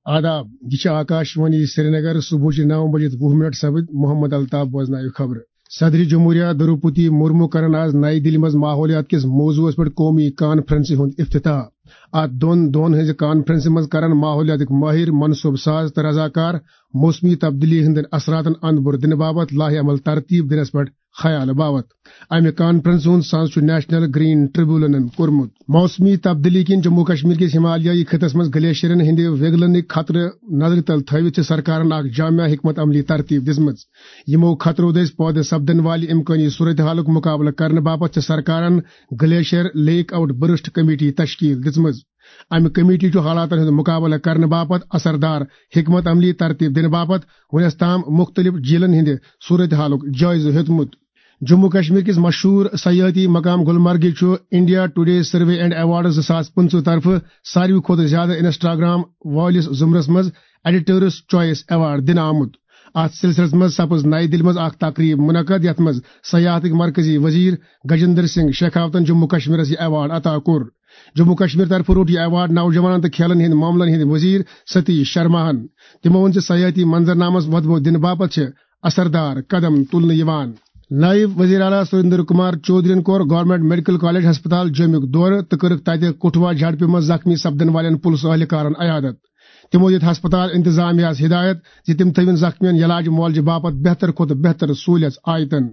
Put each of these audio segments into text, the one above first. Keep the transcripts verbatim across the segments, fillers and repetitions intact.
آداب، یہِ چھِ آکاش وانی سرینگر۔ صبحٕچہِ نَو بجے تہٕ وُہ منٹ سپٕدۍ۔ محمد الطاف بوزناوِ خبرٕ۔ صدر جمہوریہ دروپتی مرمو کرن آز نئی دِلہِ منٛز ماحولیات کِس موضوعس پٮ۪ٹھ قومی کانفرنسہِ ہُنٛد افتتاح۔ اتھ دۄن دۄہن ہٕنٛزِ کانفرنسہِ منٛز کرن ماحولیاتٕکۍ مٲہِر، منصوبہٕ ساز تہٕ رضاکار موسمی تبدیلی ہٕنٛدٮ۪ن اثراتن اند بُر دِنہٕ باپتھ لایحہ عمل ترتیب دِنس پٮ۪ٹھ خیال باوت۔ امہِ کانفرنسہِ ہُنٛد ساز چھُ نیشنل گرین ٹریبونلن کوٚرمُت۔ موسمی تبدیلی کِنۍ جموں کشمیر کِس ہمالیائی خطس منٛز گلیشیرن ہٕنٛدِ وِگلنٕکۍ خطرٕ نظرِ تل تھٲوِتھ چھِ سرکارن اکھ جامع حکمت عملی ترتیب دِژمٕژ۔ یِمو خطرو دٔسۍ پٲدٕ سپدن والہِ امکٲنی صورتحالُک مُقابلہٕ کرنہٕ باپتھ چھِ سرکارن glacier lake outburst committee تشکیل دِژمٕژ۔ امہِ کمیٹی چھُ حالاتن ہُنٛد مُقابلہٕ کرنہٕ باپتھ اثردار حکمت عملی ترتیب دِنہٕ باپتھ وُنیُس تام مُختٔلِف جیٖلن ہٕنٛدِ صورتحالُک جٲیزٕ ہیوٚتمُت۔ جموں کشمیر کِس مشہوٗر سیاحتی مقام گلمرگہِ چھُ India today survey and awards زٕ ساس پٕنٛژٕہ طرفہٕ ساروی کھۄتہٕ زیادٕ انسٹاگرام وٲلِس زمرس منٛز ایڈیٹرس چوائس ایوارڈ دِنہٕ آمُت۔ اتھ سلسلس منٛز سپٕز نئی دِلہِ منٛز اکھ تقریب منعقد، یتھ منٛز سیاحتٕکۍ مرکزی وزیر گجندر سنگھ شیخاوتن جموں کشمیرس یہِ ایوارڈ عطا کوٚر۔ جموں کشمیر طرفہٕ روٚٹ یہِ ایوارڈ نوجوانن تہٕ کھیلن ہٕنٛدۍ معاملن ہٕنٛدۍ وزیر ستیش شرماہن۔ تِمو ووٚن زِ سیاحتی منظرنامس وۄدبو دِنہٕ باپتھ چھِ اثردار قدم تُلنہٕ یِوان۔ نائب وزیر اعلیٰ سریندر کمار چودھرین کوٚر گورنمنٹ میڈیکل کالج ہسپتال جوٚمیُک دورٕ تہٕ کٔرٕکھ تتہِ کٹھوا جھڑپہِ منٛز زخمی سپدن والٮ۪ن پُلسہٕ اہلکارن عیادت۔ تِمو دِتۍ ہسپتال انتظامیہ ہس ہدایت زِ تِم تھٲوِن زخمیَن علاج معالجہٕ باپتھ بہتر کھۄتہٕ بہتر سہوٗلیژ آیتن۔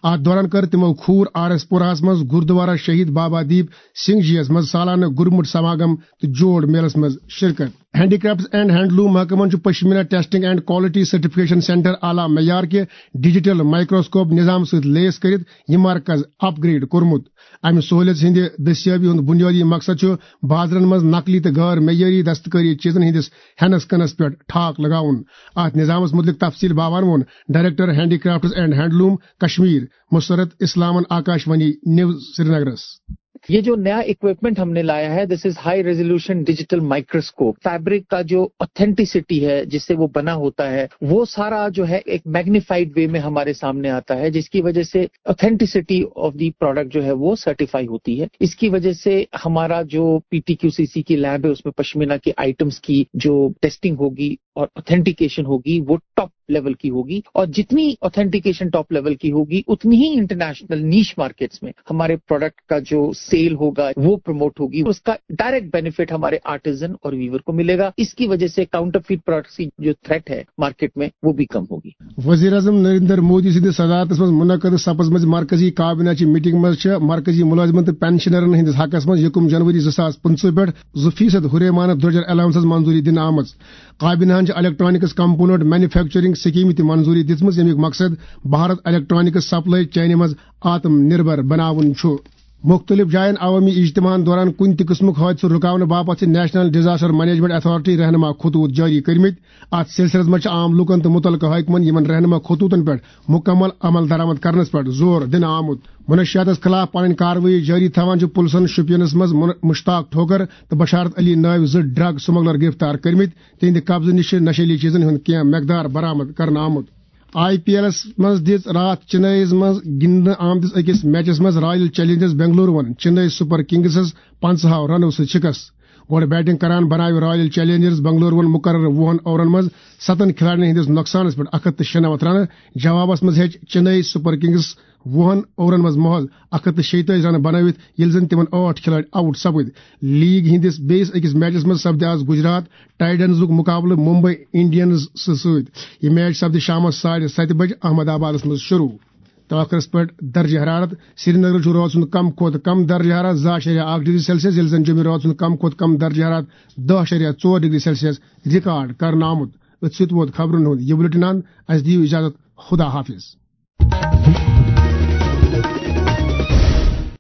اتھ دوران کٔر تِمو کھوٗر آر ایس پوراہس منٛز گردوارہ شہید بابا دیپ سنگھ جی یس منٛز سالانہٕ گُرمُٹ سماگم تہٕ جوڑ میلس منٛز شرکت۔ ہینڈی کرافٹس اینڈ ہینڈلوم محکمن چھُ pashmina testing and quality certification centre اعلیٰ معیار کہِ ڈیجیٹل مائیکروسکوپ نظام سۭتۍ لیس کٔرِتھ یہِ مرکز اپ گریڈ کوٚرمُت۔ امہِ سہولیت ہٕنٛدِ دٔستیٲبی ہُنٛد بُنیٲدی مقصد چھُ بازرن منٛز نقلی تہٕ غٲر معیٲری دستکٲری چیٖزن ہٕنٛدِس ہٮ۪نس کٕنس پٮ۪ٹھ ٹھاک لگاوُن۔ اتھ نظامس مُتعلق تفصیل باوان ووٚن director handicrafts and handloom Kashmir Musarrat اسلامن آکاش وانی نیوز سرینگرس۔ یہ جو نیا اکوپمنٹ ہم نے لایا ہے، this is high resolution digital microscope. Fabric کا جو آتھینٹیسٹی ہے، جس سے وہ بنا ہوتا ہے، وہ سارا جو ہے ایک میگنیفائیڈ وے میں ہمارے سامنے آتا ہے، جس کی وجہ سے authenticity of the product جو ہے وہ سرٹیفائی ہوتی ہے۔ اس کی وجہ سے ہمارا جو P T Q C C کی لیب ہے، اس میں پشمینہ کے آئٹمس کی جو ٹیسٹنگ ہوگی اور آتھینٹیکیشن ہوگی، وہ ٹاپ لیول کی ہوگی، اور جتنی آتھینٹیکیشن ٹاپ لیول کی ہوگی، اتنی ہی انٹرنیشنل نیش مارکیٹس میں ہمارے پروڈکٹ کا جو سیل ہوگا، وہ پروموٹ ہوگی، اس کا ڈائریکٹ بینیفٹ ہمارے آرٹیزن اور ویور کو ملے گا۔ اس کی وجہ سے کاؤنٹرفیٹ پروڈکٹس کی جو تھریٹ ہے مارکیٹ میں، وہ بھی کم ہوگی۔ وزیر اعظم نریندر مودی سٕنٛدِ صدارتس منٛز منعقد سپزمٕژ مرکزی کابینہ چہِ میٹنگ منٛز چھےٚ مرکزی ملٲزمن تہٕ پینشنرن ہٕنٛدِس حقس منٛز یکم جنوری زٕ ساس پٕنٛژٕہ پٮ۪ٹھ زٕ فیصد ہُریمانہٕ درٛۄجر الاونسز منظوری دِنہٕ آمٕژ۔ کابینہن چھِ الیکٹرانکس کمپوننٹ مینوفیکچرنگ سکیمہِ تہِ منظوری دِژمٕژ، ییٚمیُک مقصد بھارت الیکٹرانکس سپلائی چینہِ منٛز آتم نربھر بناوُن چھُ۔ مُختٔلِف جاین عوٲمی اجتماعن دوران کُنہِ تہِ قٕسمُک حٲدثہٕ رُکاونہٕ باپتھ چھِ نیشنل ڈیزاسٹر مینجمنٹ اتھارٹی رہنما خطوط جٲری کٔرمٕتۍ۔ اتھ سلسلس منٛز چھِ عام لوٗکن تہٕ مُتعلقہٕ حٲکمن یِمن رہنما خطوطن پٮ۪ٹھ مُکمل عمل درآمد کرنس پٮ۪ٹھ زور دِنہٕ آمُت۔ منشیاتس خلاف پنٕنۍ کاروٲیی جٲری تھاوان چھِ پُلسن شوپینس منٛز مُن-، مشتاق ٹھوکر تہٕ بشارت علی نٲوۍ زٕ ڈرگ سمگلر گرفتار کٔرمٕتۍ۔ تِہنٛدِ قبضہٕ نِش چھِ نشیلی چیزن ہُنٛد کینٛہہ مقدار برآمد کرنہٕ آمُت۔ آئی پی ایلس منٛز دِژ راتھ چنئیس منٛز گِنٛدنہٕ آمتِس أکِس میچس منٛز رائل چیلنجرز بنگلورون چنئی سپر کنگسس پنٛژاہو رنو سۭتۍ شکست۔ گۄڈٕ بیٹنگ کران بناوِ رائل چیلنجرز بنگلورون مقررٕ وُہن اوورن منٛز ستن کھلاڑین ہٕنٛدِس نۄقصانس پٮ۪ٹھ اکھ ہتھ تہٕ شُنمتھ رنہٕ۔ جوابس منٛز ہیٚچ چنئی سپر کنگس وُہن اوورن منٛز محض اکھ ہتھ تہٕ شیٚیہِ تٲجی رنہٕ بنٲوِتھ، ییٚلہِ زن تِمن ٲٹھ کھلٲڑۍ آؤٹ سپٕدۍ۔ لیگ ہٕنٛدِس بیٚیِس أکِس میچس منٛز سپدِ آز گجرات ٹائٹنزُک مقابلہٕ ممبئی انڈینز سۭتۍ۔ یہِ میچ سپدِ شامس ساڑِ ستہِ بجہِ احمد آبادس منٛز شروع۔ تہٕ ٲخرس پٮ۪ٹھ درجہ حرارت۔ سرینگرٕ چھُ رٲژ ہُنٛد کم کھۄتہٕ کم درجہ حرارت زٕ اَشاریہ اکھ ڈگری سیلسیس، ییٚلہِ زن جوٚمہِ رٲژ ہُنٛد کم کھۄتہٕ کم درجہ حرارت دَہ اَشاریہ ژور ڈگری سیلسیس ریکارڈ کرنہٕ آمُت۔ أتھۍ سۭتۍ ووت خبرن ہُنٛد یہِ بلیٹن اند۔ اسہِ دِیِو اجازت، خدا حافظ۔